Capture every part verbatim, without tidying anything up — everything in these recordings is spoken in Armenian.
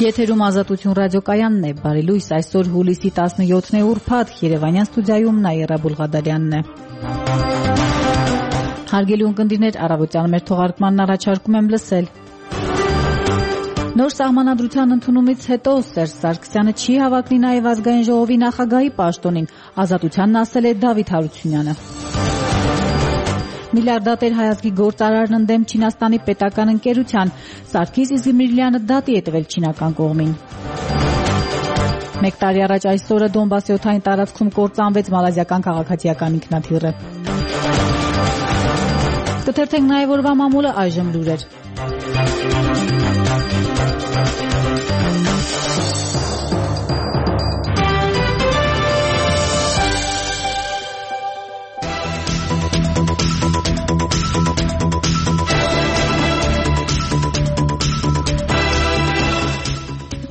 Եթերում Ազատություն ռադիոկայանն է, բարի լույս, այսօր հուլիսի տասնյոթն է ուրբաթ, Երևանյան ստուդիայում Նաիրա Բուլղադարյանն է։ Հարգելի ունկնդիրներ, առավոտյան մեր թողարկմանն առաջարկում եմ լսել։ Նոր սահմանադրության ընդունումից հետո Սերժ Սարգսյանը չի հավակնի նաև ազգային ժողովի նախագահի պաշտոնին, Ազատությանն ասել է Դավիթ Հարությունյանը։ Միլիարդատեր հայազգի գործարարն ընդդեմ Չինաստանի պետական ընկերության, Սարգիս Իզմիրլյանը դատի է տվել չինական կողմին։ Մեկ տարի առաջ այսօրը Դոնբասի օդային տարածքում կործանվեց մալազիական քաղաքացիական ինքնաթիռը։ Կթերթենք նաև օրվա մամուլը, այժմ լուրեր։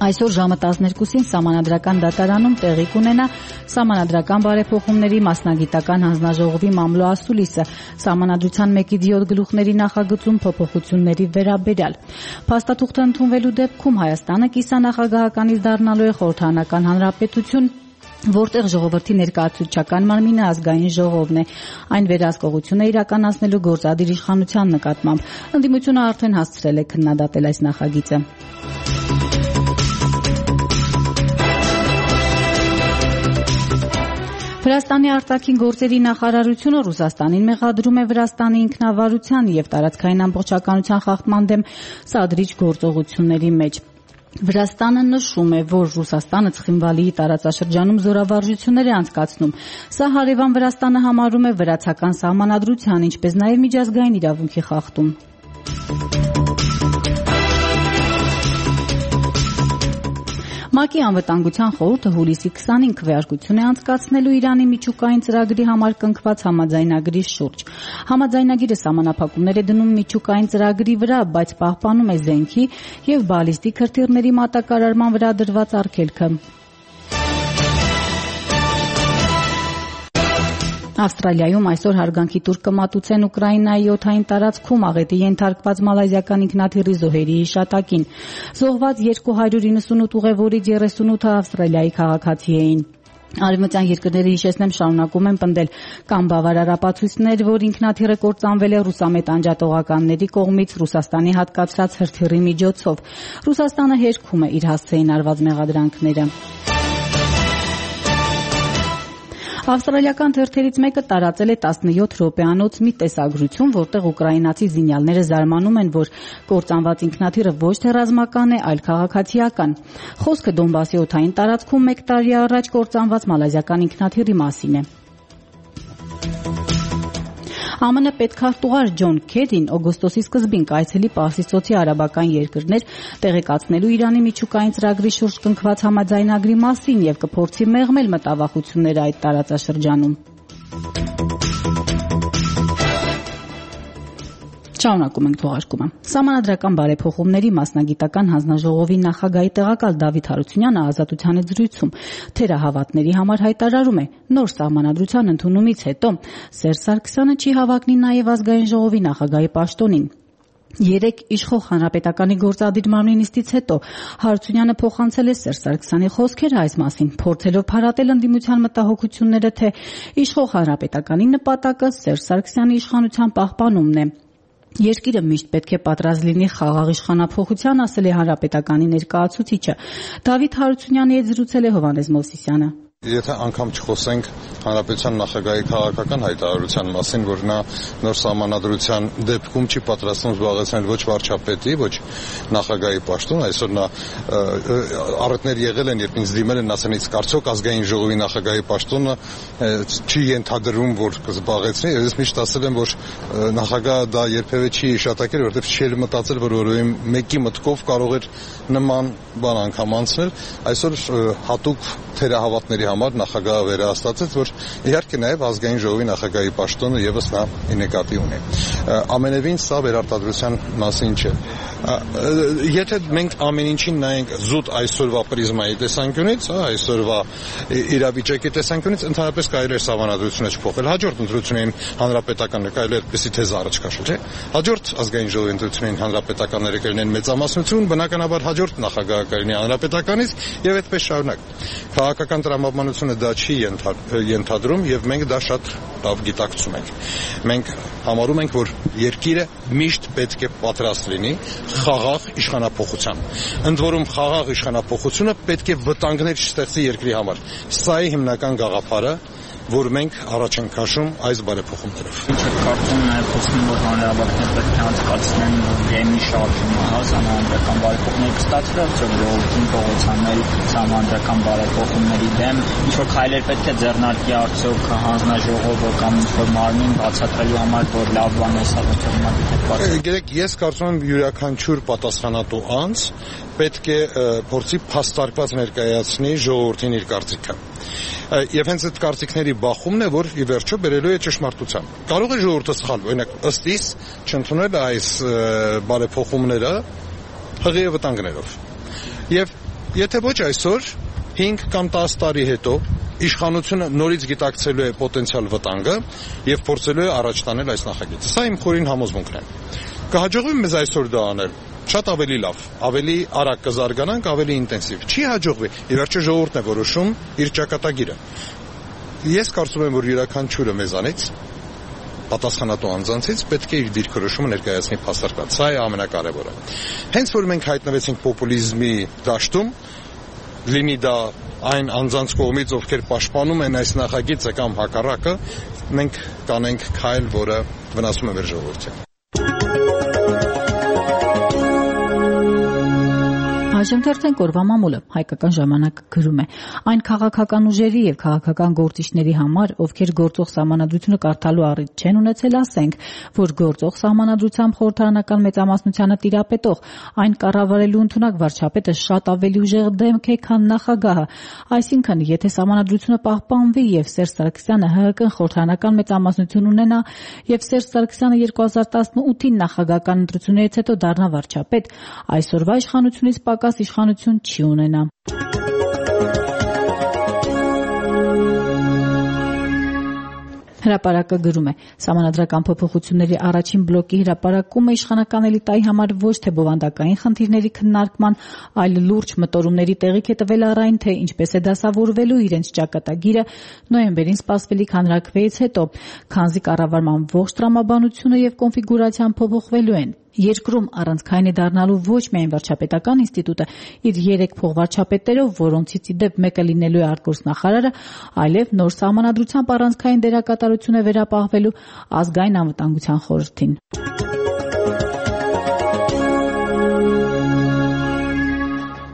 Այսօր ժամը տասներկուսին Սահմանադրական դատարանում տեղի կունենա Սահմանադրական բարեփոխումների մասնագիտական հանձնաժողովի մամլո ասուլիսը, Սահմանադրության մեկից յոթ գլուխների նախագծում փոփոխությունների վերաբերյալ։ Փաստաթուղթը ընդունվելու դեպքում Հայաստանը կիսանախագահականից դառնալու է խորհրդարանական հանրապետություն, որտեղ ժողովրդի ներկայացուցչական մարմինը ազգային ժողովն է, այն վերահսկողություն է իրականացնելու գործադիր իշխանության նկատմամբ։ Ընդդիմությունը արդեն հասցրել է քննադատել այս նախագիծը։ Վրաստանի արտաքին գործերի նախարարությունը Ռուսաստանին մեղադրում է Վրաստանի ինքնավարության և տարածքային ամբողջականության խախտման դեմ սադրիչ գործողությունների մեջ։ Վրաստանը նշում է, որ Ռուսաստանը Ცხինվալիի տարածաշրջանում զորավարժություններ է անցկացնում։ Սա հարևան Վրաստանը համարում է վրացական սահմանադրության, ինչպես նաև միջազգային իրավունքի խախտում։ ՄԱԿ-ի անվտանգության խորհուրդը հուլիսի քսանինը քվեարկություն է անցկացնելու Իրանի միջուկային ծրագրի համար կնքված համաձայնագրի շուրջ։ Համաձայնագիրը սահմանափակումներ է դնում միջուկային ծրագրի վրա, բայց պահպանում է զենքի և բալիստիկ հրթիռների մատակարարման վրա դրված արգելքը։ Ավստրալիայում այսօր հարգանքի տուր կմատուցեն Ուկրաինայի օդային տարածքում աղետի ենթարկված մալազիական ինքնաթիռի զոհերի հիշատակին։ Զոհված երկու հարյուր իննսունութ ուղևորից երեսունութը Ավստրալիայի քաղաքացի էին։ Արևմտյան երկրները, հիշեցնեմ, շարունակում են պնդել կամ բավարար ապացույցներ, որ ինքնաթիռը կործանվել է ռուսամետ անջատողականների կողմից Ռուսաստանի հատկացրած հրթիռի միջոցով։ Ռուսաստանը հերքում է իր հասցեին արված մեղադրանքները։ Ավստրալիական թերթերից մեկը տարածել է տասնյոթ րոպեանոց մի տեսագրություն, որտեղ ուկրաինացի զինյալները զարմանում են, որ կործանված ինքնաթիռը ոչ թե ռազմական է, այլ քաղաքացիական։ Խոսքը Դոնբասի օդային տարածքում մեկ տարի առաջ կործանված մալազիական ինքնաթիռի մասին է։ ԱՄՆ պետքարտուղար Ջոն Քերին օգոստոսի սկզբին կայցելի Պարսիցծոցի արաբական երկրներ տեղեկացնելու Իրանի միջուկային ծրագրի շուրջ կնքված համաձայնագրի մասին և կփորձի մեղմել մտավախությունները այդ տարածաշրջանում։ Շարունակում ենք թողարկումը։ Սահմանադրական բարեփոխումների մասնագիտական հանձնաժողովի նախագահի տեղակալ Դավիթ Հարությունյանը Ազատությանը զրույցում թերահավատների համար հայտարարում է, նոր սահմանադրության ընդունումից հետո Սերժ Սարգսյանը չի հավակնի նաև ազգային ժողովի նախագահի պաշտոնին։ Երեկ իշխող հանրապետականի գործադիր մարմնի նիստից հետո Հարությունյանը փոխանցել է Սերժ Սարգսյանի խոսքերը այս մասին, փորձելով փարատել ընդդիմության մտահոգությունները, թե իշխող հանրապետականի նպատակը Սերժ Սարգսյանի իշխանության պահպանումն է։ Երկիրը միշտ պետք է պատրաստ լինի խաղաղ իշխանափոխության, ասել է հանրապետականի ներկայացուցիչը։ Դավիթ Հարությունյանի հետ զրուցել է Հովհաննես Մովսիսյանը։ Եթե անգամ չխոսենք հանրապետության նախագահի քաղաքական հայտարարության մասին, որ նա նոր սահմանադրության դեպքում չի պատրաստվում զբաղեցնել ոչ վարչապետի, ոչ նախագահի պաշտոն, այսօր նա առիթներ եղել են, երբ ինձ դիմել են, ասել են, կարծոք ազգային ժողովի նախագահի պաշտոնը չի ենթադրում, որ կզբաղեցնի, ես միշտ ասել եմ, որ նախագահը դա երբևէ չի հիշատակել, որովհետև չի մտածել, որ որևէ մեկի մտքով կարող էր նման բան անգամ անցնել, այսօր հատուկ թերահավատների համար նախագահը վերահաստատեց, որ իհարկե նաև ազգային ժողովի նախագահի պաշտոնը եւս նա նկատի ունի։ Ամենևին սա վերարտադրության մասին չէ։ Եթե մենք ամեն ինչին նայենք զուտ այսօրվա պրիզմայի տեսանկյունից, այսօրվա իրավիճակի տեսանկյունից, ընդհանրապես կարելի է սահմանադրությունը չփոխել։ Հաջորդ ընտրություններին հանրապետականը կարելի է այդպեսի թեզ առաջ քաշել, չէ՞։ Հաջորդ ազգային ժողովի ընտրություններին հանրապետականները կլինեն մեծամասնություն, բնականաբար հաջորդ նախագահը կլինի հանրապետականից եւ այդպես շարունակ։ Քաղաքական տրամաբանությունը դա չի ենթադրում եւ մենք դա շատ լավ գիտակցում ենք։ Մենք համարում ենք, որ երկիրը միշտ պետք է պատրաստ լինի խաղաղ իշխանափոխության։ Ընդ որում խաղաղ իշխանափոխությունը պետք է վտանգներ չստեղծի երկրի համար։ Սա է հիմնական գաղափարը, որ մենք առաջ ենք քաշում այս բարեփոխումներով։ Ինչ է կարծում նաև խոսում, որ հանրահավաքներ պետք է անցկացնեն գեմի շարժումը, հա, սահմանադրական բարեփոխումներ կստացվի, արդյոք ժողովրդին փողոցանել սահմանադրական բարեփոխումների դեմ, ինչ որ քայլեր պետք է ձեռնարկի արդյոք հանձնաժողովը կամ ինչ որ մարմին բացատրելու համար, որ լավ բան է սա ոչ։ Գիտեք, ես կարծում եմ յուրաքանչյուր պատասխանատու անձ պետք է փորձի փաստարկված ներկայացնի ժողովրդին իր կարծիքը։ Եվ հենց այդ կարծիքների բախումն է, որ ի վերջո բերելու է ճշմարտության։ Կարող է ժողովուրդը սխալ, օրինակ ըստ իս չընդունել այս բարեփոխումները հղի վտանգներով։ Եվ եթե ոչ այսօր, հինգ կամ տասը տարի հետո իշխանությունը նորից գիտակցելու է պոտենցիալ վտանգը եւ փորձելու է առաջ տանել այս նախագիծը։ Սա իմ խորին համոզմունքն է։ Կհաջողվի մեզ այսօր դա անել։ Շատ ավելի լավ, ավելի արագ կզարգանանք, ավելի ինտենսիվ։ Չի հաջողվի, ի վերջո ժողովուրդն է որոշում իր ճակատագիրը։ Ես կարծում եմ, որ յուրաքանչյուրը մեզանից պատասխանատու անձանցից պետք է իր դիրքորոշումը ներկայացնի փաստարկված։ Սա է ամենակարևորը։ Հենց որ մենք հայտնվեցինք պոպուլիզմի դաշտում, լինի դա այն անձանց կողմից, ովքեր պաշտպանում են այս նախագիծը կամ հակառակը, մենք կանենք քայլ, որը վնասում է մեր ժողովրդին։ Այժմ օրվա մամուլը հայկական ժամանակը գրում է. այն քաղաքական ուժերի եւ քաղաքական գործիչների համար, ովքեր գործող սահմանադրությունը կարդալու առիթ չեն ունեցել, ասենք, որ գործող սահմանադրությամբ խորհրդարանական մեծամասնությանը տիրապետող այն կառավարելու ընդունակ վարչապետը շատ ավելի ուժեղ դեմք է, քան նախագահը։ Այսինքն, եթե սահմանադրությունը պահպանվի եւ Սերժ Սարգսյանը ՀՀԿ խորհրդարանական մեծամասնություն ունենա եւ Սերժ Սարգսյանը երկու հազար տասնութի նախագահական ընտրություններից հետո դառնա վարչապետ, այսօրվա իշխանությունից պակաս իշխանություն չի ունենա։ Հրապարակը գրում է. Սահմանադրական փոփոխությունների առաջին բլոկի հրապարակումը իշխանական էլիտայի համար ոչ թե բովանդակային խնդիրների քննարկման, այլ լուրջ մտորումների տեղիք է տվել առ այն, թե ինչպես է դասավորվելու իրենց ճակատագիրը նոյեմբերին սպասվելիք հանրաքվեից հետո, քանզի կառավարման ողջ տրամաբանությունը եւ կոնֆիգուրացիան փոփոխվելու են։ Երկրում առանցքային է դառնալու ոչ միայն վարչապետական ինստիտուտը իր երեք փոխվարչապետերով, որոնցից ի դեպ մեկը լինելու է արտգործնախարարը, այլև նոր սահմանադրությամբ առանցքային դերակատարություն է վերապահվելու ազգային անվտանգության խորհրդին։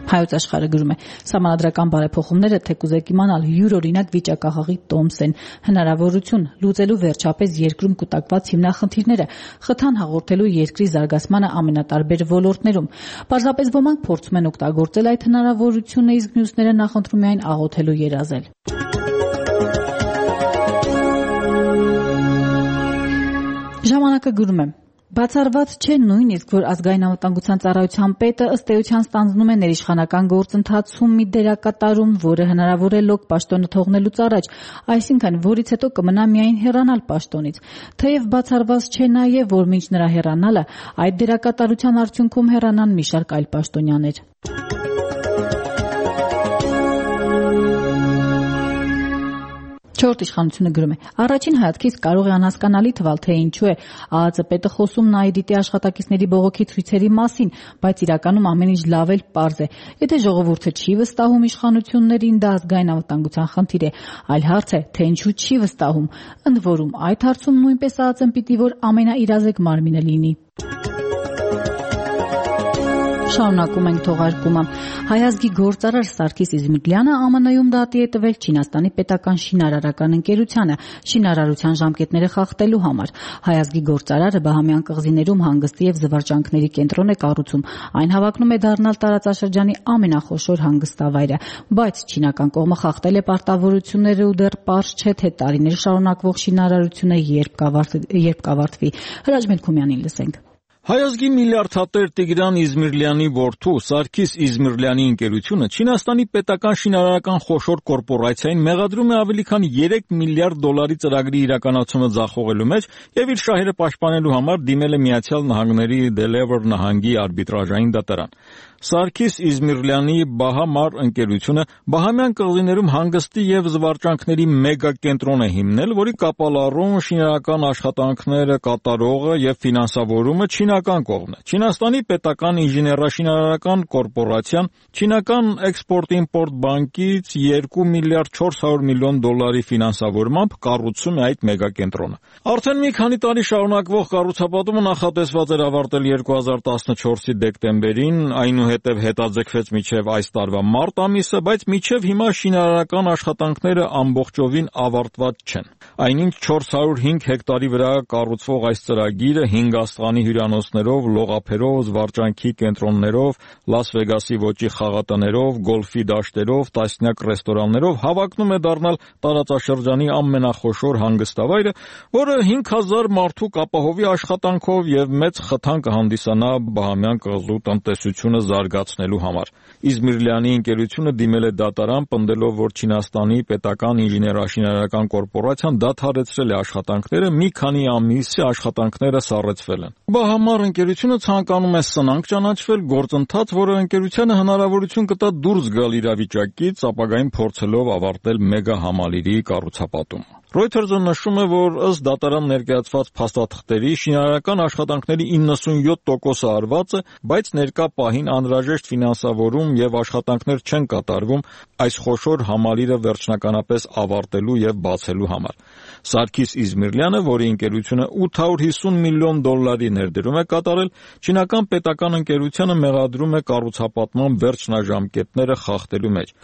Հայոց աշխարհը գրում է. Սահմանադրական բարեփոխումները թեկուզեք իմանալ յուրօրինակ վիճակահաղի տոմս են, հնարավորություն լուծելու վերջապես երկրում կուտակված հիմնախնդիրները, խթան հաղորդելու երկրի զարգացմանը ամենատարբեր ոլորտներում։ Պարզապես ոմանք փորձում են օգտագործել այդ հնարավորությունը, իսկ մյուսները նախընտրում են աղոթելու երազել։ Ժամանակը գրում է. Բացառված չէ նույնիսկ, որ ազգային անվտանգության ծառայության պետը ըստ էության ստանձնում է ներիշխանական գործընթացում մի դերակատարում, որը հնարավոր է լոկ պաշտոնը թողնելուց առաջ, այսինքն որից հետո կմնա միայն հեռանալ պաշտոնից։ Թեև բացառված չէ նաև, որ մինչ նրա հեռանալը այդ դերակատարության արդյունքում հեռանան մի շարք այլ պաշտոնյաներ։ Չորրորդ իշխանությունը գրում է. Առաջին հայացքից կարող է անհասկանալի թվալ, թե ինչու է ԱԱԾ պետը խոսում ՆԱԻԴԻՏ-ի աշխատակիցների բողոքի ցույցերի մասին, բայց իրականում ամեն ինչ լավ էլ պարզ է։ Եթե ժողովուրդը չի վստահում իշխանություններին, դա ազգային անվտանգության խնդիր է, այլ հարց է, թե ինչու չի վստահում։ Ընդ որում, այդ հարցում նույնպես ԱԱԾ-ն պիտի որ ամենաիրազեկ մարմինը լինի։ Շարունակում ենք թողարկումը։ Հայազգի գործարար Սարգիս Իզմիրլյանը Է Մ Ն-ում դատի է տվել Չինաստանի պետական շինարարական ընկերությանը շինարարության ժամկետները խախտելու համար։ Հայազգի գործարարը Բահամյան կղզիներում հանգստի եւ զվարճանքների կենտրոն է կառուցում։ Այն հավակնում է դառնալ տարածաշրջանի ամենախոշոր հանգստավայրը, բայց չինական կողմը խախտել է պարտավորությունները ու դեռ պարզ չէ, թե տարիներ շարունակվող շինարարությունը երբ կավարտվի։ Հրաչ Մելքումյանին լսենք։ Հայազգի միլիարդատեր Տիգրան Իզմիրլյանի որդու Սարգիս Իզմիրլյանի ընկերությունը Չինաստանի պետական շինարարական խոշոր կորպորացիային մեղադրում է ավելի քան երեք միլիարդ դոլարի ծրագրի իրականացումը ձախողելու մեջ եւ իր շահերը պաշտպանելու համար դիմել է Միացյալ Նահանգների Դելևեր նահանգի արբիտրաժային դատարան։ Սարգիս Իզմիրլյանի Բահամար ընկերությունը Բահամյան կղզիներում հանգստի եւ զվարճանքների մեգա կենտրոն է հիմնել, որի կապալառուն շինարարական աշխատանքները կատարողը եւ ֆինանսավորումը չինական կողմն է։ Չինաստանի պետական ինժեներաշինարարական կորպորացիան չինական Էքսպորտ-իմպորտ բանկից երկու միլիարդ չորս հարյուր միլիոն դոլարի ֆինանսավորմամբ կառուցում է այդ մեգա կենտրոնը։ Արդեն մի քանի տարի շարունակվող կառուցապատումը նախատեսված էր ավարտել երկու հազար տասնչորսի դեկտեմբերին, այնուհետև հետաձգվեց մինչև այս տարվա մարտ ամիսը, բայց մինչև հիմա շինարարական աշխատանքները ամբողջովին ավարտված չեն։ Այնինչ չորս հարյուր հինգ հեկտարի վրա կառուցվող այս ծրագիրը հինգ աստղանի հյուրանոցներով, լողափերով, զվարճանքի կենտրոններով, Լաս Վեգասի ոճի խաղատներով, գոլֆի դաշտերով, տասնյակ ռեստորաններով հավակնում է դառնալ տարածաշրջանի ամենախոշոր հանգստավայրը, որը հինգ հազար մարդու կապահովի աշխատանքով եւ մեծ խթան կհանդիսանա Բահամյան կղզու տնտեսությունը զարգացնելու համար։ Իզմիրլյանի ընկերությունը դիմել է դատարան, պնդելով, որ Չինաստանի պետական ինժեներաշինարարական կորպորացիան դադարեցրել է աշխատանքները, մի քանի ամիս է աշխատանքները սառեցվել են։ Բահամար ընկերությունը ցանկանում է սնանկ ճանաչվել, գործընթաց, որը ընկերությանը հնարավորություն կտա դուրս գալ իրավիճակից, ապագային փորձելով ավարտել մեգա համալիրի կառուցապատումը։ Reuters-ը նշում է, որ ըստ դատարան ներկայացված փաստաթղթերի շինարարական աշխատանքների իննսունյոթ տոկոսը արված է, բայց ներկա պահին անհրաժեշտ ֆինանսավորում եւ աշխատանքներ չեն կատարվում այս խոշոր համալիրը վերջնականապես ավարտելու եւ բացելու համար։ Սարգիս Իզմիրլյանը, որի ընկերությունը ութ հարյուր հիսուն միլիոն դոլարի ներդրում է կատարել, չինական պետական ընկերությանը մեղադրում է կառուցապատման վերջնաժամկետները խախտելու մեջ։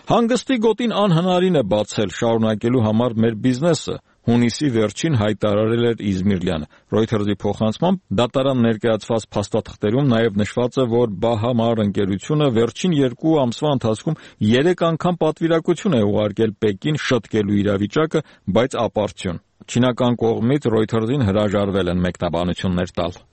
Հանգստի գոտին անհնարին է բացել շարունակելու համար մեր բիզնեսը, հունիսի վերջին հայտարարել էր Իզմիրլյանը։ Reuters-ի փոխանցմամբ դատարան ներկայացված փաստաթղթերում նաև նշված է, որ Բահամար ընկերությունը վերջին երկու ամսվա ընթացքում երեք անգամ պատվիրակություն է ուղարկել Պեկին շտկելու իրավիճակը, բայց ապարդյուն։ Չինական կողմից Reuters-ին հրաժարվել են մեկնաբանություններ տալ։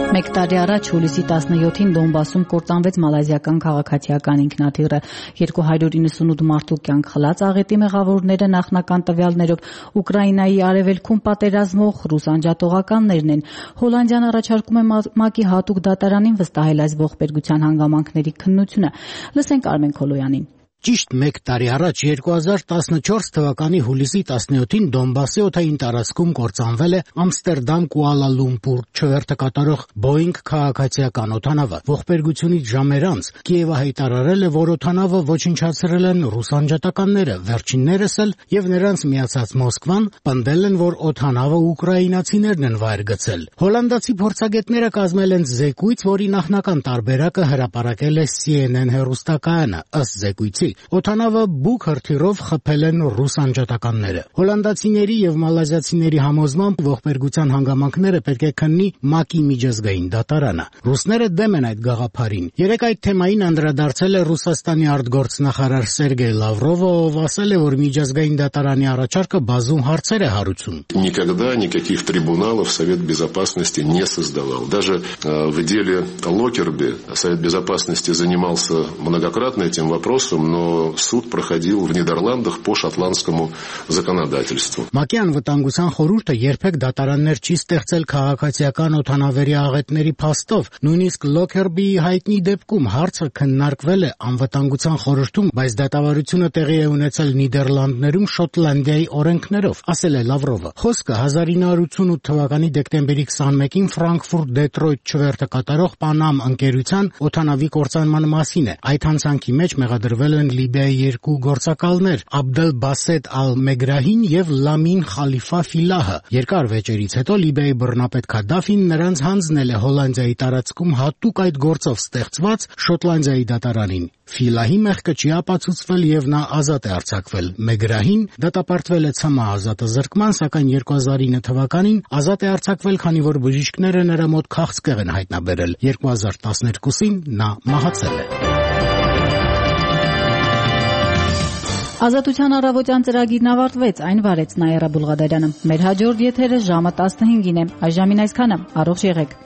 Մեկ տարի առաջ հուլիսի տասնյոթին Դոնբասում կործանվեց մալազիական քաղաքացիական ինքնաթիռը։ երկու հարյուր իննսունութ մարդու կյանք խլած աղետի մեղավորները նախնական տվյալներով Ուկրաինայի արևելքում պատերազմող ռուս անջատողականներն են։ Հոլանդիան առաջարկում է ՄԱԿ-ի հատուկ դատարանին վստահել այս ողբերգության հանգամանքների քննությունը։ Լսենք Արմեն Քոլոյանին։ Ճիշտ մեկ տարի առաջ երկու հազար տասնչորս թվականի հուլիսի տասնյոթին Դոնբասի օդային տարածքում կործանվել է Ամստերդամ Կուալա Լումպուր չվերթը կատարող Boeing քաղաքացիական օդանավը։ Ողբերգությունից ժամեր անց Կիևը հայտարարել է, որ օդանավը ոչնչացրել են ռուս անջատականները, վերջիններս էլ եւ նրանց միացած Մոսկվան պնդել են, որ օդանավը ուկրաինացիներն են վայր գցել։ Հոլանդացի փորձագետները կազմել են զեկույց, որի նախնական տարբերակը հրապարակել է C N N հեռուստակայանը։ Ըստ զեկույցի օդանավը բուք հրթիռով խփել են ռուս անջատականները։ Հոլանդացիների եւ մալազիացիների համոզմամբ ողբերգության հանգամանքները պետք է քննի ՄԱԿ-ի միջազգային դատարանը։ Ռուսները դեմ են այդ գաղափարին։ Երեք այդ թեմային անդրադարձել է Ռուսաստանի արտգործնախարար Սերգեյ Լավրովը, ով ասել է, որ միջազգային դատարանի առաջարկը բազում հարցեր է հարուցում։ Никогда никаких трибуналов Совет Безопасности не создавал. Даже в деле Локерби Совет Безопасности занимался многократно этим вопросом, но суд проходил в Нидерландах по шотландскому законодательству. ՄԱԿ-ի անվտանգության խորհուրդը երբեք դատարաններ չի ստեղծել քաղաքացիական օդանավերի աղետների փաստով, նույնիսկ Լոքերբիի հայտնի դեպքում հարցը քննարկվել է անվտանգության խորհրդում, բայց դատավարությունը տեղի է ունեցել Նիդերլանդներում Շոտլանդիայի օրենքներով, ասել է Լավրովը։ Խոսքը հազար ինը հարյուր ութսունութ թվականի դեկտեմբերի քսանմեկին Ֆրանկֆուրտ-Դեթրոյթ չվերթը կատարող Պանամ ընկերության օդանավի կործանման մասին է։ Այդ հանցանքի մեջ մեղադրվել են են Լիբիայի երկու գործակալներ՝ Աբդել Բասետ Ալ-Մեգրահին եւ Լամին Խալիֆա Ֆիլահը։ Երկար վեճերից հետո Լիբիայի բռնապետ Քադաֆին նրանց հանձնել է Հոլանդիայի տարածքում հատուկ այդ գործով ստեղծված Շոտլանդիայի դատարանին։ Ֆիլահի մեղքը չի ապացուցվել եւ նա ազատ է արձակվել։ Մեգրահին դատապարտվել է ՑՄՀ ազատազրկման, սակայն երկու հազար ինը թվականին ազատ է արձակվել, քանի որ բժիշկները նրա մոտ քաղցկեղ են հայտնաբերել։ երկու հազար տասներկուսին նա մահացել է։ Ազատության առավոտյան ծրագիրն ավարտվեց, այն վարեց Նաիրա Բուլղադարյանը։ Մեր հաջորդ եթերը ժամը տասնհինգին է։ Այժմին այսքանը։ Առողջ եղեք։